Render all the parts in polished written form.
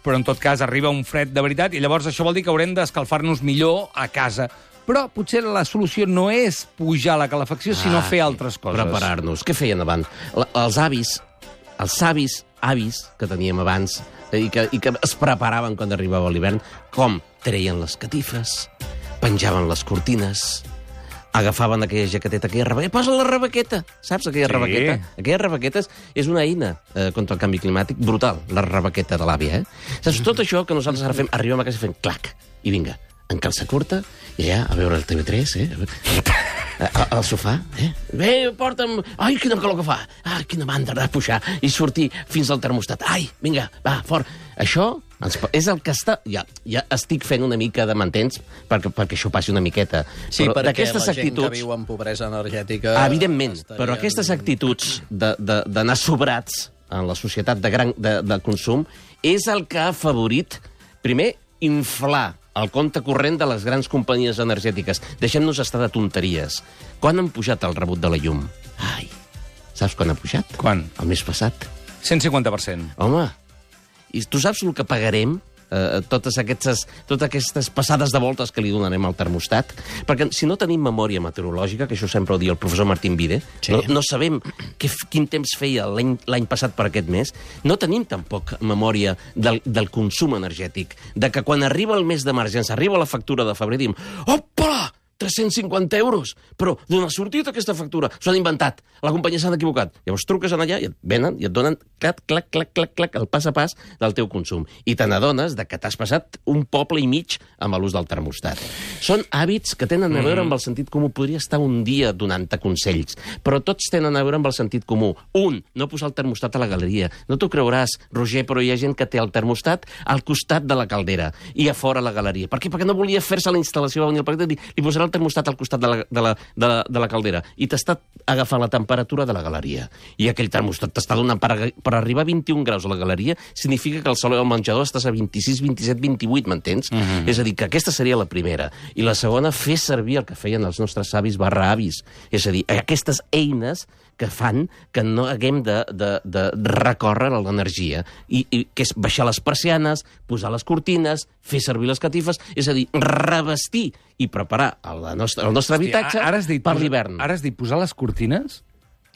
però en tot cas arriba un fred de veritat i llavors això vol dir que haurem d'escalfar-nos millor a casa. Però potser la solució no és pujar la calefacció, sinó fer altres coses. Preparar-nos. Què feien abans? Els savis avis que teníem abans i que es preparaven quan arribava l'hivern, com treien les catifes, penjaven les cortines, agafaven aquella jaqueteta, aquella rebaqueta. Posa la rebaqueta, saps, aquella rebaqueta? Aquelles rebaquetes és una eina contra el canvi climàtic brutal, la rebaqueta de l'àvia, Saps, tot això que nosaltres ara fem, arribem a casa i fem clac, i vinga, en calça curta, i allà a veure el TV3, al sofà, Bé, porta'm... Ai, quina calor que fa! Ai, quina mandra de pujar i sortir fins al termostat. Ai, vinga, va, fort. Això és el que està... Ja estic fent una mica de mantens perquè això passi una miqueta. Sí, però perquè la gent que viu en pobresa energètica... Evidentment, però aquestes actituds d'anar sobrats en la societat de consum és el que ha afavorit, primer, inflar el compte corrent de les grans companyies energètiques. Deixem-nos estar de tonteries. Quan han pujat el rebut de la llum? Ai, saps quan ha pujat? Quan? El mes passat. 150%. Home, i tu saps el que pagarem? Totes aquestes passades de voltes que li donarem al termostat, perquè si no tenim memòria meteorològica, que això sempre ho diu el professor Martín Vide, no sabem quin temps feia l'any passat per aquest mes, no tenim tampoc memòria del consum energètic, de que quan arriba el mes d'emergència, arriba la factura de febrer, diem, opa! 350 euros! Però d'on ha sortit aquesta factura? S'ho han inventat. La companyia s'ha equivocat. Llavors truques allà i et venen i et donen clac, el pas a pas del teu consum. I te n'adones que t'has passat un poble i mig amb l'ús del termostat. Són hàbits que tenen a veure amb el sentit comú. Podria estar un dia donant-te consells, però tots tenen a veure amb el sentit comú. Un, no posar el termostat a la galeria. No t'ho creuràs, Roger, però hi ha gent que té el termostat al costat de la caldera i a fora a la galeria. Per què? Perquè no volia fer-se la instal·lació, va venir el paquet i li posarà el termostat al costat de la caldera i t'està agafant la temperatura de la galeria. I aquell termostat t'està donant per arribar a 21 graus a la galeria, significa que el saló del menjador estàs a 26, 27, 28, m'entens? És a dir, que aquesta seria la primera. I la segona, fer servir el que feien els nostres savis /avis. És a dir, aquestes eines que fan que no haguem de recórrer a l'energia. I que és baixar les persianes, posar les cortines, fer servir les catifes, és a dir, revestir i preparar el nostre habitatge per l'hivern. Ara has dit posar les cortines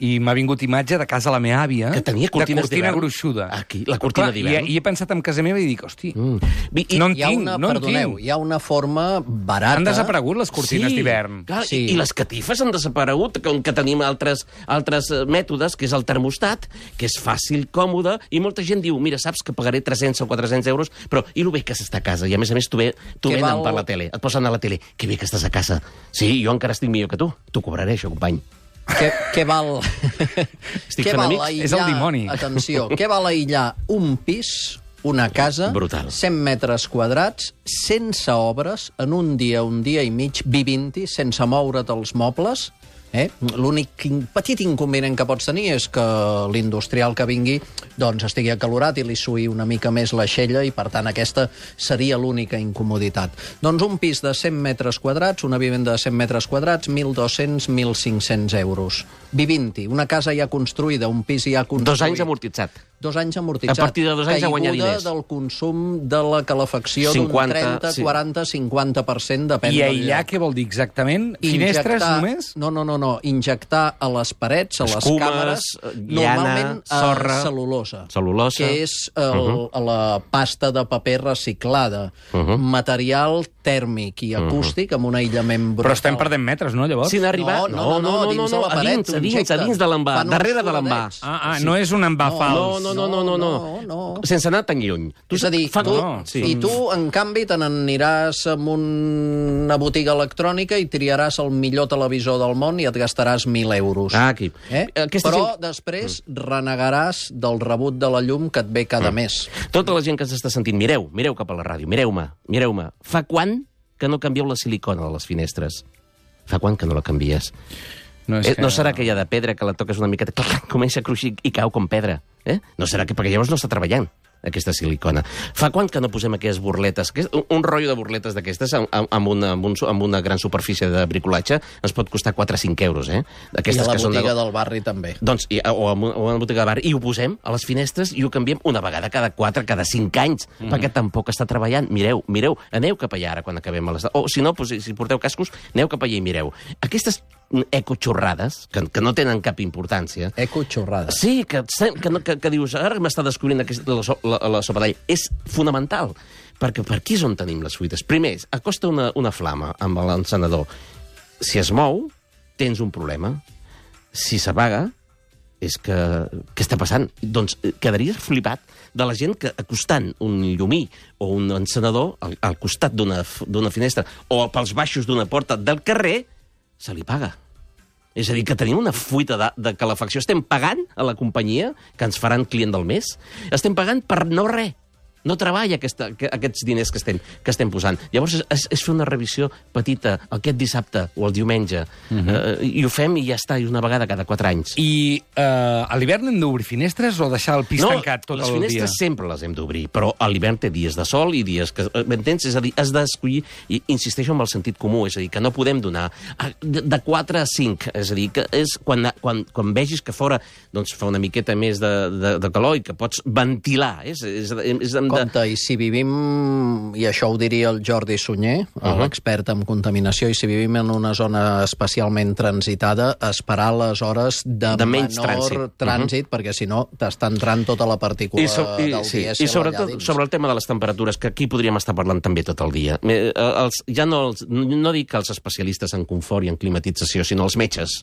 i m'ha vingut imatge de casa la meva àvia, que tenia cortines de cortina d'hivern. gruixuda. Aquí, la cortina d'hivern. I he pensat en casa meva i dic, hosti, no en tinc. Perdoneu, hi ha una forma barata... Han desaparegut les cortines d'hivern. Sí. I les catifes han desaparegut, que tenim altres mètodes, que és el termostat, que és fàcil, còmode, i molta gent diu, mira, saps que pagaré 300 o 400 euros, però i lo bé que s'està a casa, i a més tu venen per la tele, et posen a la tele, que bé que estàs a casa. Sí, jo encara estic millor que tu. T'ho cobraré, això, company. Què val... Estic fent amics? És el dimoni. Atenció, què val aïllar un pis, una casa, brutal. 100 metres quadrats, sense obres, en un dia i mig, vivint-hi, sense moure't els mobles? L'únic petit inconvenient que pots tenir és que l'industrial que vingui doncs estigui acalorat i li suï una mica més l'aixella i, per tant, aquesta seria l'única incomoditat. Doncs un pis de 100 metres quadrats, una vivenda de 100 metres quadrats, 1.200, 1.500 euros. Vivint-hi, una casa ja construïda, un pis ja construït. 2 anys amortitzat. 2 anys amortitzat. A partir de 2 anys a guanyar diners. Caiguda del consum de la calefacció d'un 30, 40, 50%, depèn del lloc. I aïllar què vol dir exactament? Finestres només? No. Injectar a les parets, a les càmeres, normalment sorra, cel·lulosa, que és la pasta de paper reciclada, material tèrmic i acústic amb un aïllament brutal. Però estem perdent metres, no, llavors? Si n'arribar... No, dins de la paret. A dins de l'envà, darrere de l'envà. No és un envà fals. No. Sense anar tan lluny. És a dir, tu, en canvi, te n'aniràs a una botiga electrònica i triaràs el millor televisor del món i et gastaràs 1.000 euros. Aquí. Però després renegaràs del rebut de la llum que et ve cada mes. Tota la gent que s'està sentint, mireu cap a la ràdio, mireu-me. Fa quant que no canvieu la silicona de les finestres? Fa quant que no la canvies? No serà aquella de pedra que la toques una miqueta, comença a cruixir i cau com pedra? No serà que perquè llavors no està treballant. aquesta silicona. Fa quant que no posem aquestes burletes? Un rotllo de burletes d'aquestes amb una gran superfície de bricolatge ens pot costar 4 o 5 euros, I a la botiga del barri també. Doncs, o a la botiga del barri, i ho posem a les finestres i ho canviem una vegada cada 4, cada 5 anys, perquè tampoc està treballant. Mireu, aneu cap allà ara quan acabem a les... O si no, si porteu cascos, aneu cap allà i mireu. Aquestes ecoxorrades, que no tenen cap importància... Ecoxorrades. Sí, que dius, ara m'està descobrint la sopa d'all. És fonamental, perquè per aquí és on tenim les fuites. Primer, acosta una flama amb l'encenedor. Si es mou, tens un problema. Si s'apaga, és que... Què està passant? Doncs quedaries flipat de la gent que acostant un llumí o un encenedor al costat d'una finestra o pels baixos d'una porta del carrer, se li paga. És a dir, que tenim una fuita de calefacció. Estem pagant a la companyia que ens faran client del mes. Estem pagant per no res. No treballa aquests diners que estem posant. Llavors és fer una revisió petita aquest dissabte o el diumenge. I ho fem i ja està, i una vegada cada 4 anys. I a l'hivern hem d'obrir finestres o deixar el pis tancat tot el dia? No, les finestres sempre les hem d'obrir, però a l'hivern té dies de sol i dies que... M'entens? És a dir, has d'escollir, i insisteixo amb el sentit comú, és a dir, que no podem donar de 4 a 5. És a dir, que és quan vegis que fora doncs, fa una miqueta més de calor i que pots ventilar. Compte, i si vivim, i això ho diria el Jordi Sunyer, l'expert en contaminació, i si vivim en una zona especialment transitada, esperar les hores de menys trànsit, perquè si no t'està entrant tota la partícula del dia. I sobretot sobre el tema de les temperatures, que aquí podríem estar parlant també tot el dia. Ja no dic els especialistes en confort i en climatització, sinó els metges.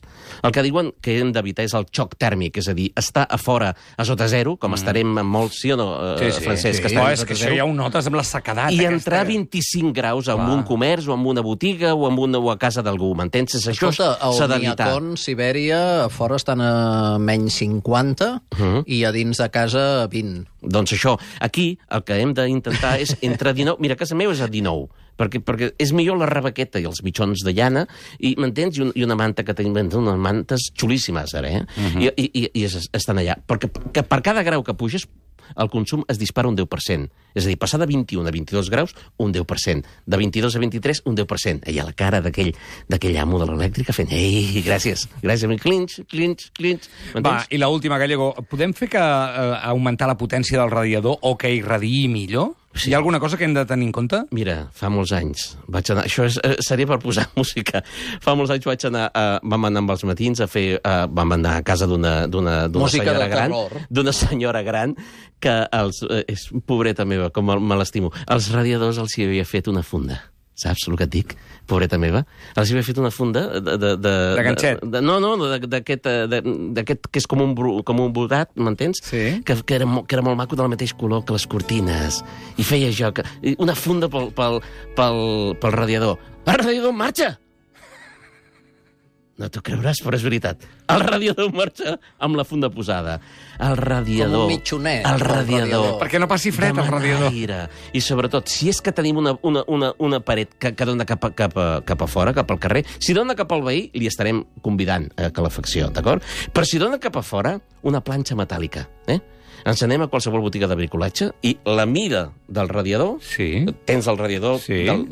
El que diuen que hem d'evitar és el xoc tèrmic, és a dir, estar a fora a sota zero, com estarem amb molts, sí o no, Francesc? És que això ja ho notes amb la sequedat. I entrar a 25 graus en un comerç o en una botiga o a casa d'algú, m'entens? Això s'ha d'evitar. Al Sibèria, a fora estan a menys 50 i a dins de casa 20. Doncs això, aquí el que hem d'intentar és entre 19... Mira, a casa meva és a 19, perquè és millor la rebequeta i els mitjons de llana, i m'entens? I una manta que tenim, unes mantes xulíssimes, ara, i estan allà. Perquè per cada grau que puges, el consum es dispara un 10%. És a dir, passar de 21 a 22 graus, un 10%. De 22 a 23, un 10%. I a la cara d'aquell amo de l'elèctrica fent, ei, gràcies, clinch. Va, i l'última, Gallego, podem fer que augmentar la potència del radiador o que irradiï millor? Sí. Hi ha alguna cosa que hem de tenir en compte? Mira, fa molts anys vaig anar... Això seria per posar música. Fa molts anys vaig anar... Vam anar amb els matins a fer... Vam anar a casa d'una senyora gran. D'una senyora gran que és pobreta meva, com me l'estimo. Els radiadors els hi havia fet una funda. Saps el que et dic? Pobreta meva. Els havia fet una funda de ganxet? No, d'aquest que és com un brodat, m'entens? Sí. Que era molt maco, del mateix color que les cortines. I feia jo... Una funda pel radiador. El radiador en marxa! No t'ho creuràs, però és veritat. El radiador marxa amb la funda posada. El radiador... Com un mitjonet. El radiador. Perquè no passi fred, el radiador. Aire. I sobretot, si és que tenim una paret que dona cap a fora, cap al carrer, si dona cap al veí, li estarem convidant a calefacció, d'acord? Però si dona cap a fora, una planxa metàl·lica, Ens anem a qualsevol botiga de bricolatge i la mida del radiador, tens el radiador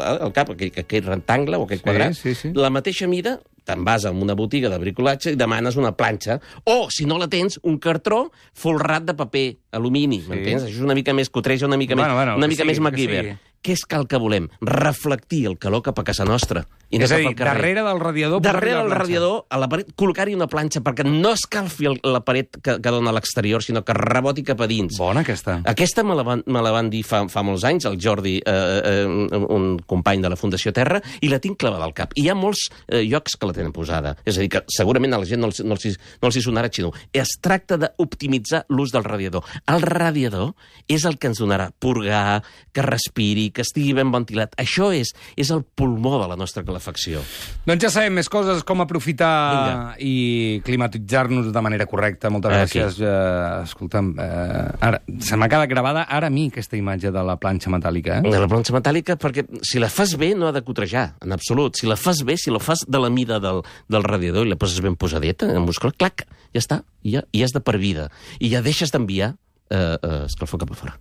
al cap, aquell rectangle o aquell quadrat, la mateixa mida, te'n vas a una botiga de bricolatge i demanes una planxa, o, si no la tens, un cartró folrat de paper alumini, m'entens? Això és una mica més cotreja, una mica més MacGyver. Què és el que volem? Reflectir el calor cap a casa nostra. És a dir, darrere del radiador... Darrere del radiador, a la paret, col·locar-hi una planxa perquè no escalfi la paret que dona a l'exterior, sinó que reboti cap a dins. Bona, aquesta. Aquesta me la van dir fa molts anys, el Jordi, un company de la Fundació Terra, i la tinc clavada al cap. I hi ha molts llocs que la tenen posada. És a dir, que segurament a la gent no els hi sonarà xino. Es tracta d'optimitzar l'ús del radiador. El radiador és el que ens donarà purgar, que respiri, que estigui ben ventilat. Això és el pulmó de la nostra calefacció. Doncs ja sabem més coses, com aprofitar i climatitzar-nos de manera correcta. Moltes gràcies. Escolta'm, ara, se m'ha quedat gravada ara a mi aquesta imatge de la planxa metàl·lica. De la planxa metàl·lica, perquè si la fas bé no ha de cotrejar, en absolut. Si la fas bé, si la fas de la mida del radiador i la poses ben posadeta, en muscle, clac, ja està, i ja és de per vida. I ja deixes d'enviar escalfor cap a fora.